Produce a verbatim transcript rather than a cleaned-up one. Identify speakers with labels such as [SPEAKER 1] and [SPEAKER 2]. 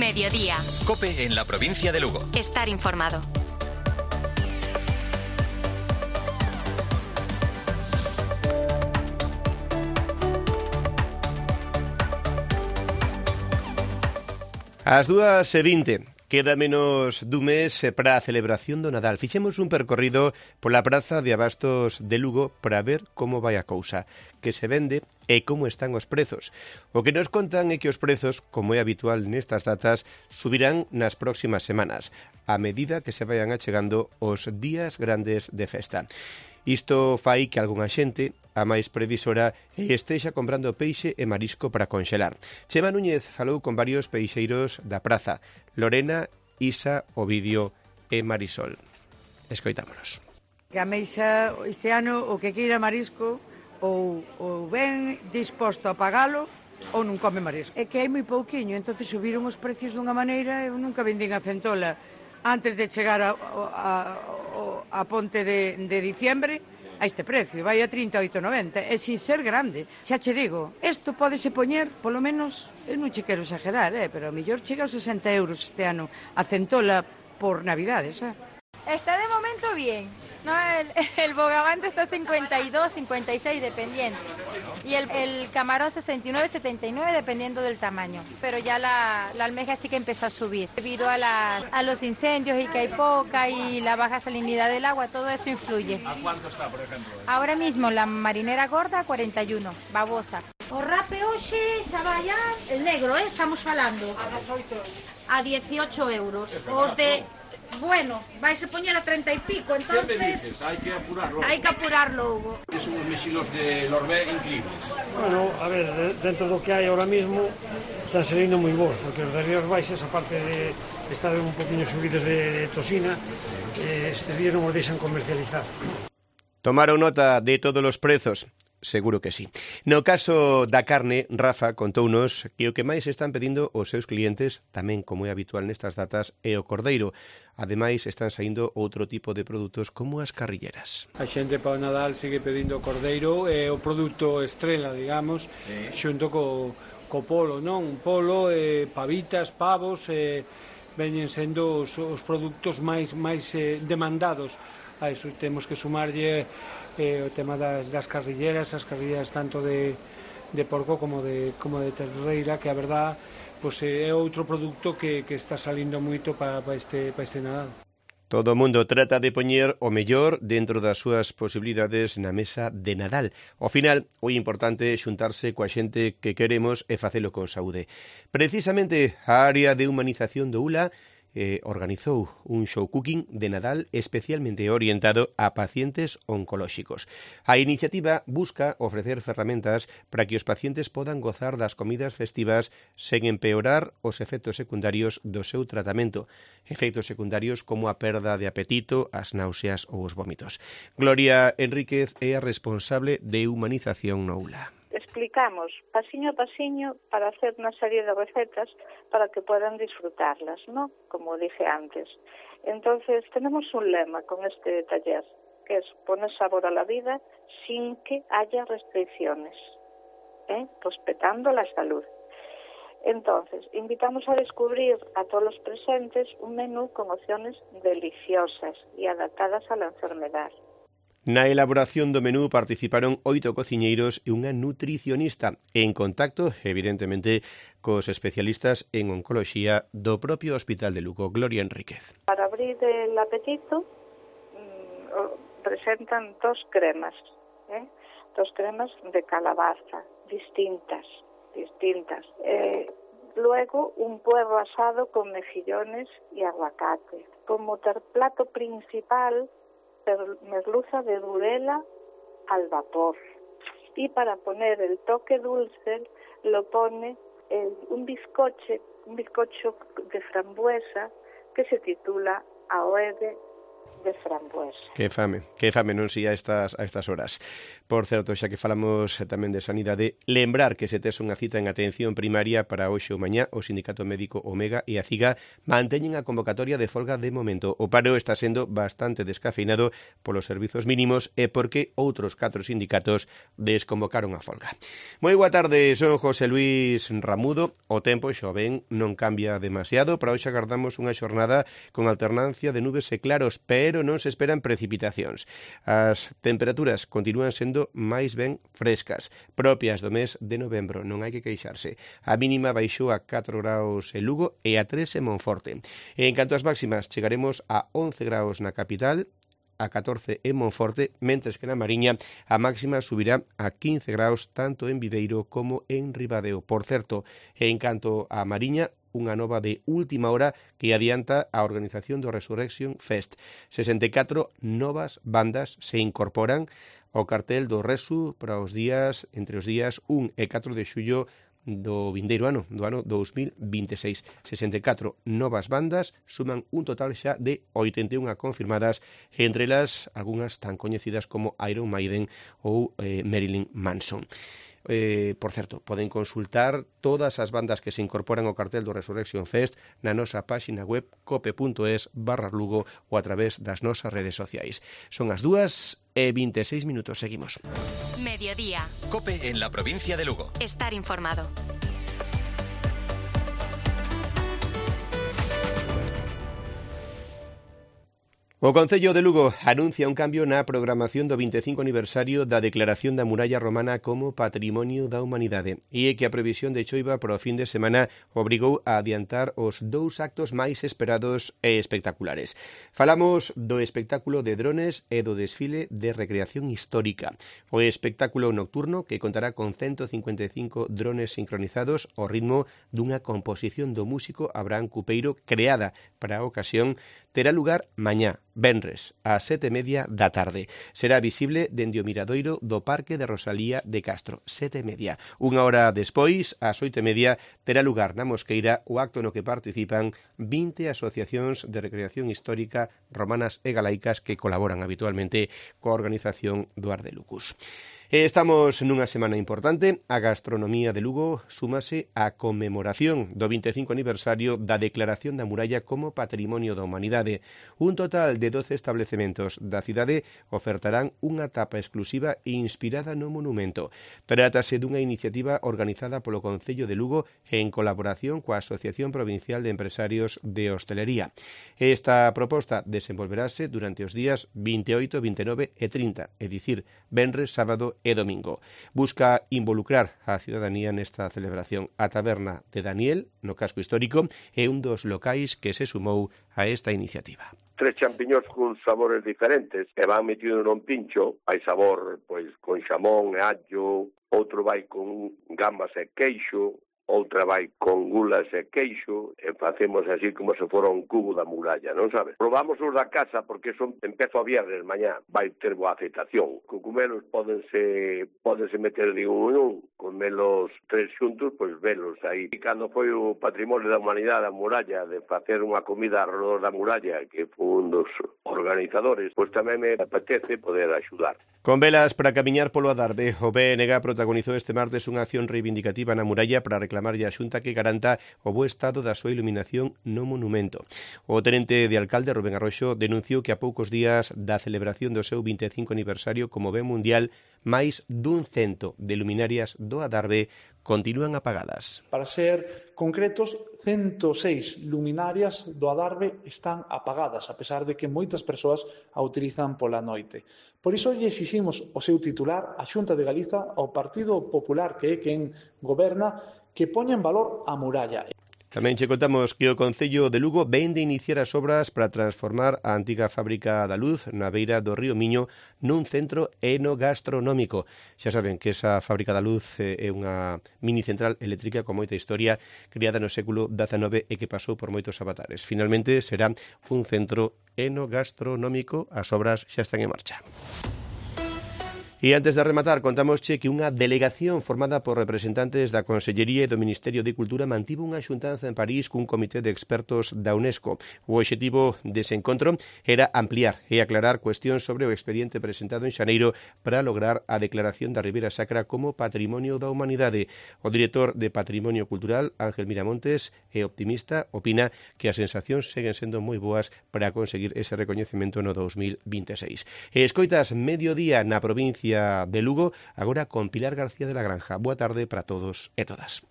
[SPEAKER 1] Mediodía.
[SPEAKER 2] COPE en la provincia de Lugo.
[SPEAKER 1] Estar informado.
[SPEAKER 3] Ás dúas e vinte, queda menos dun mes para a celebración do Nadal. Fixemos un percorrido pola praza de abastos de Lugo para ver como vai a cousa, que se vende e como están os prezos. O que nos contan é que os prezos, como é habitual nestas datas, subirán nas próximas semanas, a medida que se vayan achegando os días grandes de festa. Isto fai que algunha xente, a máis previsora, estexa comprando peixe e marisco para conxelar. Chema Núñez falou con varios peixeiros da praza, Lorena, Isa, Ovidio e Marisol. Escoitámonos.
[SPEAKER 4] Que a meixa este ano o que queira marisco ou, ou ben disposto a pagalo ou non come marisco. É que hai moi pouquiño, entonces subiron os precios dunha maneira, eu nunca vendín a centola antes de chegar a, a, a, a ponte de, de diciembre a este precio, vai a trinta e oito noventa, e sin ser grande. Xa che digo, isto pódese poñer, polo menos, eu non che quero exagerar, eh, pero a mellor chega aos sesenta euros este ano a centola por Navidades, eh?
[SPEAKER 5] Está de momento bien, ¿no? El, el bogavante está cincuenta y dos, cincuenta y seis dependiendo, y el, el camarón sesenta y nueve, setenta y nueve dependiendo del tamaño, pero ya la, la almeja sí que empezó a subir debido a, la, a los incendios y que hay poca y la baja salinidad del agua, todo eso influye.
[SPEAKER 6] ¿A cuánto está, por ejemplo?
[SPEAKER 5] Ahora mismo la marinera gorda cuarenta y uno, babosa.
[SPEAKER 7] O rape hoxe xa vai a el negro, eh, estamos falando a dieciocho euros, os de bueno, vais a poñer a treinta y pico, entonces...
[SPEAKER 6] Siempre dices, hay que apurarlo.
[SPEAKER 7] Hay que apurarlo, Hugo.
[SPEAKER 6] Son unos mexilos de Lorbé increíbles.
[SPEAKER 8] Bueno, a ver, dentro do que hai ahora mismo, están saliendo moi bons, porque os de Rías Baixas, aparte de estar un poquinho subidos de, de tosina, eh, estes días non os deixan comercializar.
[SPEAKER 3] Tomaron nota de todos os prezos? Seguro que sí. No caso da carne, Rafa contounos que o que máis están pedindo os seus clientes, tamén como é habitual nestas datas, é o cordeiro. Ademais, están saindo outro tipo de produtos como as carrilleras.
[SPEAKER 9] A xente para o Nadal sigue pedindo cordeiro, é o produto estrela, digamos, sí, xunto co, co polo, non? Polo, eh, pavitas, pavos, eh, veñen sendo os, os produtos máis máis eh, demandados. A iso temos que sumarlle eh, o tema das, das carrilleras, as carrilleras tanto de, de porco como de, como de terreira, que a verdad pues, é outro produto que, que está salindo moito para, para, este, para este Nadal.
[SPEAKER 3] Todo o mundo trata de poñer o mellor dentro das súas posibilidades na mesa de Nadal. Ao final, o importante é xuntarse coa xente que queremos e facelo con saúde. Precisamente, a área de humanización do U L A Eh, organizou un show cooking de Nadal especialmente orientado a pacientes oncolóxicos. A iniciativa busca ofrecer ferramentas para que os pacientes podan gozar das comidas festivas sen empeorar os efectos secundarios do seu tratamento, efectos secundarios como a perda de apetito, as náuseas ou os vómitos. Gloria Enríquez é a responsable de humanización no U L A.
[SPEAKER 10] Explicamos pasiño a pasiño para hacer una serie de recetas para que puedan disfrutarlas, ¿no? Como dije antes. Entonces, tenemos un lema con este taller, que es poner sabor a la vida sin que haya restricciones, ¿eh? Respetando la salud. Entonces, invitamos a descubrir a todos los presentes un menú con opciones deliciosas y adaptadas a la enfermedad.
[SPEAKER 3] Na elaboración do menú participaron oito cociñeiros e unha nutricionista en contacto, evidentemente, cos especialistas en oncoloxía do propio Hospital de Lugo. Gloria Enríquez.
[SPEAKER 10] Para abrir el apetito mmm, presentan dos cremas, ¿eh? dos cremas de calabaza, distintas, distintas. Eh, luego un puerro asado con mejillones y aguacate. Como plato principal, merluza de durela al vapor, y para poner el toque dulce lo pone el, un bizcoche, un bizcocho de frambuesa que se titula Aoede de frambuesa.
[SPEAKER 3] Que fame, que fame, non si a estas, a estas horas. Por certo, xa que falamos tamén de sanidade, lembrar que se tes unha cita en atención primaria para hoxe ou mañá, o Sindicato Médico Omega e a CIGA manteñen a convocatoria de folga de momento. O paro está sendo bastante descafeinado polos servizos mínimos e porque outros catro sindicatos desconvocaron a folga. Moi boa tarde, son José Luis Ramudo. O tempo, xo ven, non cambia demasiado. Para hoxe agardamos unha xornada con alternancia de nubes e claros, pero non se esperan precipitacións. As temperaturas continúan sendo máis ben frescas, propias do mes de novembro, non hai que queixarse. A mínima baixou a catro graus en Lugo e a tres en Monforte. En canto ás máximas, chegaremos a once graus na capital, a catorce en Monforte, mentres que na Mariña a máxima subirá a quince graus tanto en Viveiro como en Ribadeo. Por certo, en canto a Mariña, unha nova de última hora que adianta a organización do Resurrection Fest. sesenta e catro novas bandas se incorporan ao cartel do Resu para os días entre os días un e catro de xullo do vindeiro ano, do ano dous mil vinte e seis. sesenta e catro novas bandas suman un total xa de oitenta e unha confirmadas, entre elas algunhas tan coñecidas como Iron Maiden ou eh, Marilyn Manson. Eh, por certo, poden consultar todas as bandas que se incorporan ao cartel do Resurrection Fest na nosa páxina web cope.es barra Lugo ou a través das nosas redes sociais. Son as dúas e vinte e seis minutos, seguimos.
[SPEAKER 1] Mediodía.
[SPEAKER 2] Cope en la provincia de Lugo.
[SPEAKER 1] Estar informado.
[SPEAKER 3] O Concello de Lugo anuncia un cambio na programación do vinte e cinco aniversario da Declaración da Muralla Romana como Patrimonio da Humanidade e é que a previsión de choiva para o fin de semana obrigou a adiantar os dous actos máis esperados e espectaculares. Falamos do espectáculo de drones e do desfile de recreación histórica. O espectáculo nocturno, que contará con ciento cincuenta e cinco drones sincronizados ao ritmo dunha composición do músico Abraham Cupeiro creada para a ocasión, terá lugar mañá, venres, ás sete e media da tarde. Será visible dende o miradoiro do Parque de Rosalía de Castro, sete e media. Unha hora despois, ás oito e media, terá lugar na Mosqueira o acto no que participan vinte asociacións de recreación histórica romanas e galaicas que colaboran habitualmente coa organización do Ardelucus. Estamos nunha semana importante. A gastronomía de Lugo súmase á conmemoración do vinte e cinco aniversario da Declaración da Muralla como Patrimonio da Humanidade. Un total de doce establecementos da cidade ofertarán unha tapa exclusiva inspirada no monumento. Trátase dunha iniciativa organizada polo Concello de Lugo en colaboración coa Asociación Provincial de Empresarios de Hostelería. Esta proposta desenvolverase durante os días vinte e oito, vinte e nove e trinta, é dicir, venres, sábado e domingo. Busca involucrar a ciudadanía nesta celebración. A taberna de Daniel, no casco histórico, é un dos locais que se sumou a esta iniciativa.
[SPEAKER 11] Tres champiñóns con sabores diferentes que van metido nun pincho. Hai sabor pois con xamón e allo, outro vai con gambas e queixo, outra vai con gulas e queixo, e facemos así como se fora un cubo da muralla, non sabes? Probamos os da casa porque son empezo a viernes, mañá vai ter boa aceptación. Cucumelos pódense, pódense meter de un en un, comelos tres xuntos, pois velos aí. E cando foi o Patrimonio da Humanidade da muralla, de facer unha comida alrededor da muralla, que foi un dos organizadores, pois tamén me apetece poder axudar.
[SPEAKER 3] Con velas para camiñar polo Adarve, o B N G protagonizou este martes unha acción reivindicativa na muralla para reclamarlle a Xunta que garanta o bo estado da súa iluminación no monumento. O tenente de alcalde, Rubén Arroxo, denunciou que a poucos días da celebración do seu vinte e cinco aniversario como ben mundial, máis dun cento de luminarias do Adarve continúan apagadas.
[SPEAKER 12] Para ser concretos, ciento seis luminarias do Adarve están apagadas, a pesar de que moitas persoas a utilizan pola noite. Por iso lle exiximos o seu titular, a Xunta de Galiza, ao Partido Popular, que é quen goberna, que poña en valor a muralla.
[SPEAKER 3] Tamén che contamos que o Concello de Lugo vén de iniciar as obras para transformar a antiga fábrica da Luz na beira do río Miño nun centro enogastronómico. Xa saben que esa fábrica da Luz é unha mini central eléctrica con moita historia, criada no século dezenove e que pasou por moitos avatares. Finalmente será un centro enogastronómico. As obras xa están en marcha. E antes de rematar, contamosche que unha delegación formada por representantes da Consellería e do Ministerio de Cultura mantivo unha xuntanza en París cun comité de expertos da UNESCO. O obxectivo dese encontro era ampliar e aclarar cuestións sobre o expediente presentado en xaneiro para lograr a declaración da Ribeira Sacra como Patrimonio da Humanidade. O director de Patrimonio Cultural, Ángel Miramontes, é optimista, opina que as sensacións seguen sendo moi boas para conseguir ese recoñecemento no dos mil vinte e seis. E escoitas Mediodía na provincia de Lugo, agora con Pilar García de la Granja. Boa tarde para todos e todas.